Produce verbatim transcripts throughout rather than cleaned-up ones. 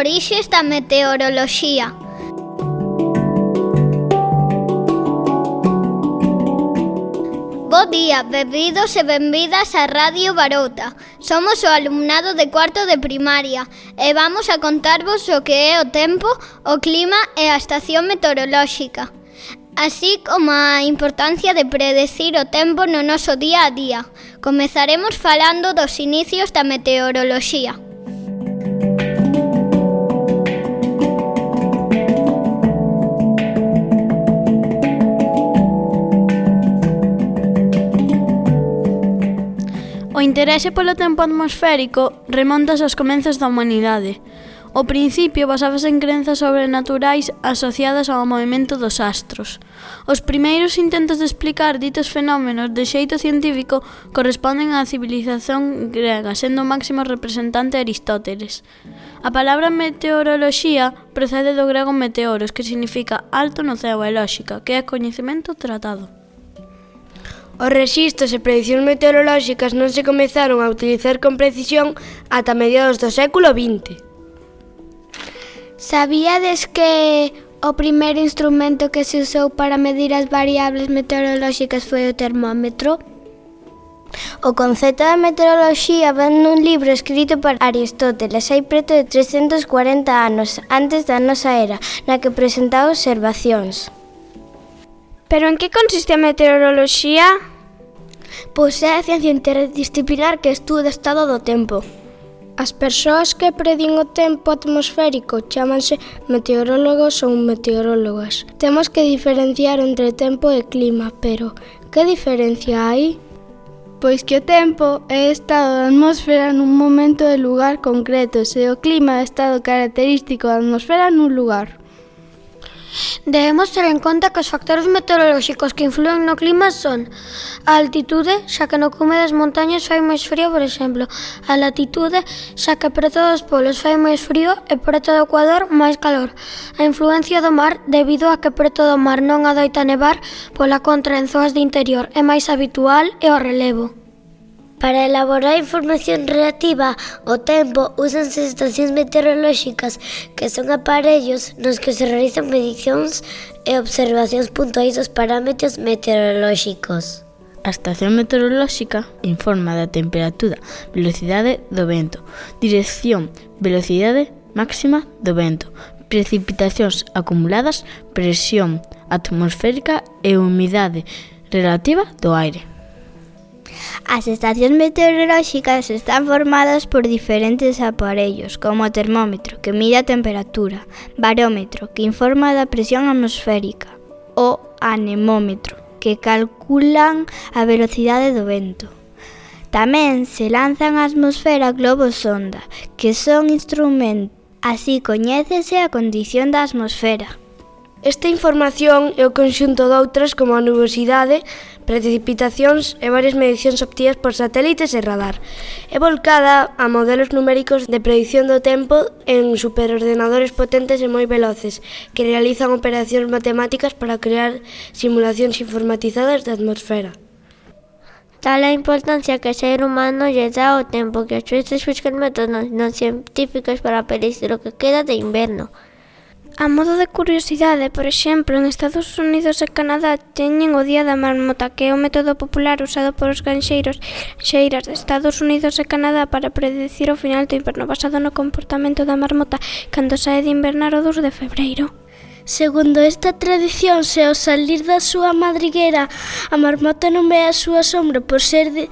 Orixes da meteoroloxía. Bo día, benvidos e benvidas a Radio Barouta. Somos o alumnado de cuarto de primaria e vamos a contarvos o que é o tempo, o clima e a estación meteorolóxica, así como a importancia de predecir o tempo no noso día a día. Comezaremos falando dos inicios da meteoroloxía. O interese polo tempo atmosférico remontas aos comenzos da humanidade. O principio basábase en crenzas sobrenaturais asociadas ao movimento dos astros. Os primeiros intentos de explicar ditos fenómenos de xeito científico corresponden á civilización grega, sendo o máximo representante Aristóteles. A palabra meteoroloxía procede do grego meteoros, que significa alto no ceo, e lóxica, que é coñecemento tratado. Os rexistros e predicións meteorolóxicas non se comezaron a utilizar con precisión ata mediados do século vinte. Sabíades que o primeiro instrumento que se usou para medir as variables meteorolóxicas foi o termómetro? O concepto da meteoroloxía ven nun libro escrito por Aristóteles hai preto de trescentos cuarenta anos antes da nosa era, na que presentaba observacións. Pero en que consiste a meteoroloxía? Pois é a ciencia interdisciplinar que estuda o estado do tempo. As persoas que predín o tempo atmosférico chámanse meteorólogos ou meteorólogas. Temos que diferenciar entre tempo e clima, pero que diferencia hai? Pois que o tempo é estado da atmosfera nun momento e lugar concretos e o clima é estado característico da atmosfera nun lugar. Debemos ter en conta que os factores meteorolóxicos que influen no clima son a altitude, xa que no cume das montañas fai máis frío, por exemplo, a latitude, xa que preto dos polos fai máis frío e preto do ecuador máis calor, a influencia do mar, debido a que preto do mar non adoita nevar, pola contra en zonas de interior é máis habitual, e o relevo. Para elaborar información relativa ao tempo, úsanse estacións meteorolóxicas, que son aparellos nos que se realizan medicións e observacións puntuais dos parámetros meteorolóxicos. A estación meteorolóxica informa da temperatura, velocidade do vento, dirección, velocidade máxima do vento, precipitacións acumuladas, presión atmosférica e humidade relativa do aire. As estacións meteorolóxicas están formadas por diferentes aparellos, como o termómetro, que mide a temperatura, barómetro, que informa da presión atmosférica, o anemómetro, que calculan a velocidade do vento. Tamén se lanzan á atmosfera globos sonda, que son instrumentos. Así coñécese a condición da atmosfera. Esta información é o conxunto doutras como a nubosidade, precipitacións e varias medicións obtidas por satélites e radar. É volcada a modelos numéricos de predición do tempo en superordenadores potentes e moi veloces, que realizan operacións matemáticas para crear simulacións informatizadas da atmosfera. Tal a importancia que o ser humano lle dá ao tempo que os xuíces buscan métodos non científicos para predicir o que queda de inverno. A modo de curiosidade, por exemplo, en Estados Unidos e Canadá teñen o Día da Marmota, que é o método popular usado por os granxeiros e granxeiras de Estados Unidos e Canadá para predecir o final do inverno, basado no comportamento da marmota cando sae de invernar o dous de febreiro. Segundo esta tradición, se ao salir da súa madriguera a marmota non ve a súa sombra por ser de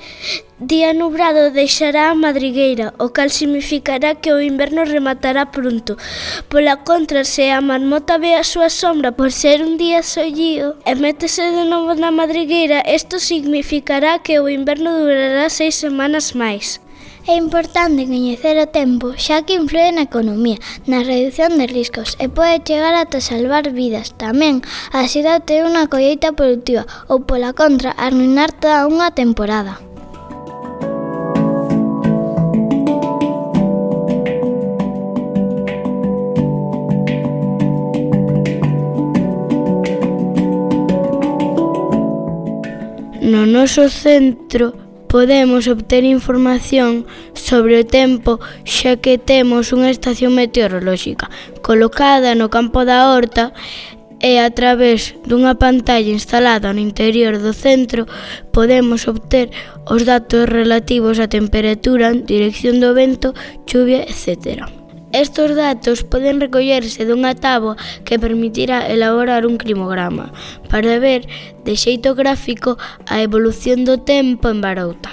día nubrado, deixará a madrigueira, o cal significará que o inverno rematará pronto. Pola contra, se a marmota ve a súa sombra por ser un día sollío e métese de novo na madrigueira, isto significará que o inverno durará seis semanas máis. É importante coñecer o tempo, xa que influe na economía, na reducción de riscos e pode chegar ata salvar vidas. Tamén axuda a ter unha colleita productiva ou, pola contra, arruinar toda unha temporada. No noso centro podemos obter información sobre o tempo xa que temos unha estación meteorolóxica colocada no campo da horta e a través dunha pantalla instalada no interior do centro podemos obter os datos relativos á temperatura, dirección do vento, chuvia, etcétera. Estos datos poden recollerse dunha táboa que permitirá elaborar un climograma para ver de xeito gráfico a evolución do tempo en Barouta.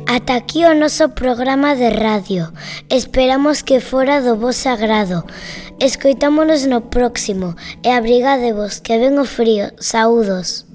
Ata aquí o noso programa de radio. Esperamos que fora do vos agrado. Escoitámonos no próximo e abrigadevos que ven o frío. Saúdos.